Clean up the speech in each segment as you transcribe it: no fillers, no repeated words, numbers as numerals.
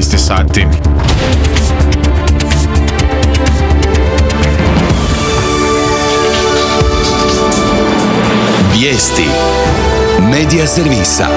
19 sati. Vijesti Medija servisa.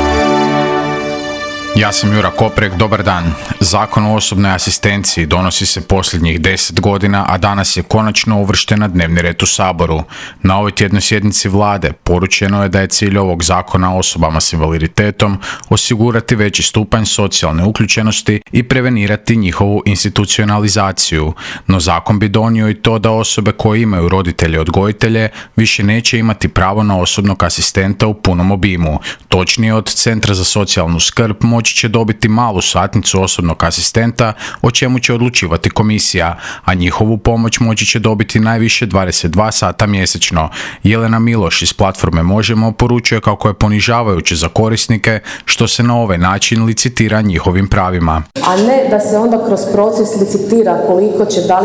Ja sam Jura Koprek, dobar dan. Zakon o osobnoj asistenciji donosi se posljednjih 10 godina, a danas je konačno uvršten na dnevni red u Saboru. Na ovoj tjednoj sjednici vlade poručeno je da je cilj ovog zakona osobama s invaliditetom osigurati veći stupanj socijalne uključenosti i prevenirati njihovu institucionalizaciju. No zakon bi donio i to da osobe koje imaju roditelje odgojitelje više neće imati pravo na osobnog asistenta u punom obimu. Točnije, od Centra za socijalnu skrb moći će dobiti malu satnicu osobnog asistenta, o čemu će odlučivati komisija, a njihovu pomoć moći će dobiti najviše 22 sata mjesečno. Jelena Miloš iz platforme Možemo poručuje kako je ponižavajuće za korisnike što se na ovaj način licitira njihovim pravima. A ne da se onda kroz proces licitira koliko će, da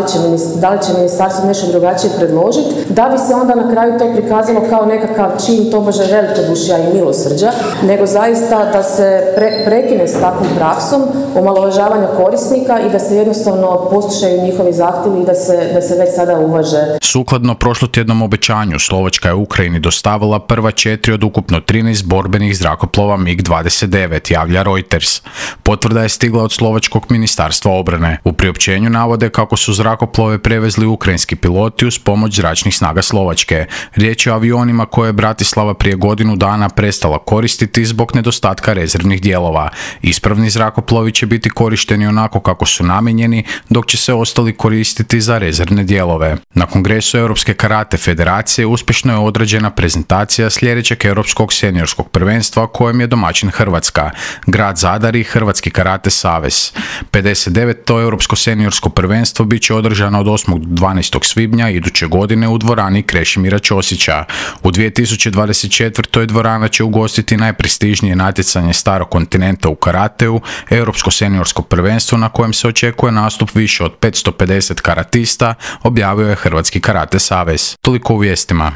li će ministarstvo nešto drugačije predložiti, da bi se onda na kraju to prikazalo kao nekakav čin tobože velikodušja i milosrđa, nego zaista da se prekine s takvom praksom omalovažavanja korisnika i da se jednostavno poslušaju njihovi zahtjevi i da se već sada uvaže. Sukladno prošlotjednom obećanju, Slovačka je Ukrajini dostavila prva 4 od ukupno 13 borbenih zrakoplova MiG-29, javlja Reuters. Potvrda je stigla od Slovačkog ministarstva obrane. U priopćenju navode kako su zrakoplove prevezli ukrajinski piloti uz pomoć zračnih snaga Slovačke. Riječ je o avionima koje je Bratislava prije godinu dana prestala koristiti zbog nedostatka rezervnih dijelova. Ispravni zrakoplovi će biti korišteni onako kako su namijenjeni, dok će se ostali koristiti za rezervne dijelove. Na kongresu Europske karate federacije uspješno je odrađena prezentacija sljedećeg europskog seniorskog prvenstva kojem je domaćin Hrvatska, grad Zadar i Hrvatski karate savez. 59. europsko seniorsko prvenstvo bit će održano od 8. do 12. svibnja iduće godine u dvorani Krešimira Ćosića. U 2024. dvorana će ugostiti najprestižnije natjecanje starog kontinenta u karateu, europsko seniorsko prvenstvo na kojem se očekuje nastup više od 550 karatista, objavio je Hrvatski karate savez. Toliko u vijestima.